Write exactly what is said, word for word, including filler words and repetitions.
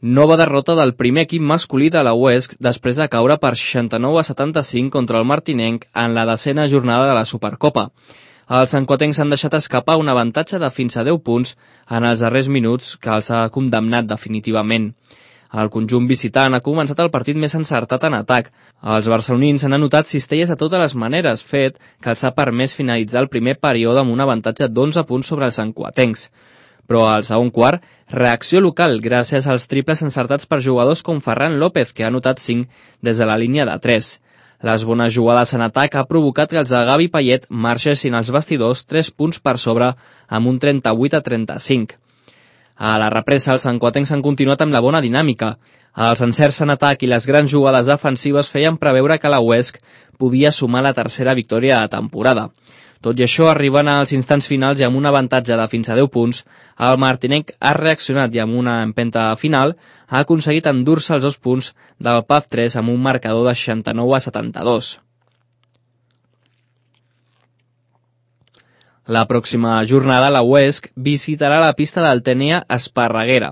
Nova derrota del primer equip masculí de la Huesc després de caure per seixanta-nou a setanta-cinc contra el martinenc en la desena jornada de la Supercopa. Els santcuatencs han deixat escapar un avantatge de fins a deu punts en els darrers minuts que els ha condemnat definitivament. El conjunt visitant ha començat el partit més encertat en atac. Els barcelonins han anotat cistelles de totes les maneres, fet que els ha permès finalitzar el primer període amb un avantatge d'onze punts sobre els santcuatencs. Però al segon quart, reacció local gràcies als triples encertats per jugadors com Ferran López, que ha anotat cinc des de la línia de tres. Les bones jugades en atac ha provocat que els de Gavi Payet marxessin als vestidors tres punts per sobre amb un trenta-vuit a trenta-cinc. A la represa, els santcuatencs han continuat amb la bona dinàmica. Els encerts en atac i les grans jugades defensives feien preveure que la Huesc podia sumar la tercera victòria de temporada. Tot i això, arribant als instants finals i amb un avantatge de fins a deu punts, el martinenc ha reaccionat i amb una empenta final ha aconseguit endur-se els dos punts del P A F tres amb un marcador de seixanta-nou a setanta-dos. La pròxima jornada la Huesc visitarà la pista del Tènia Esparreguera.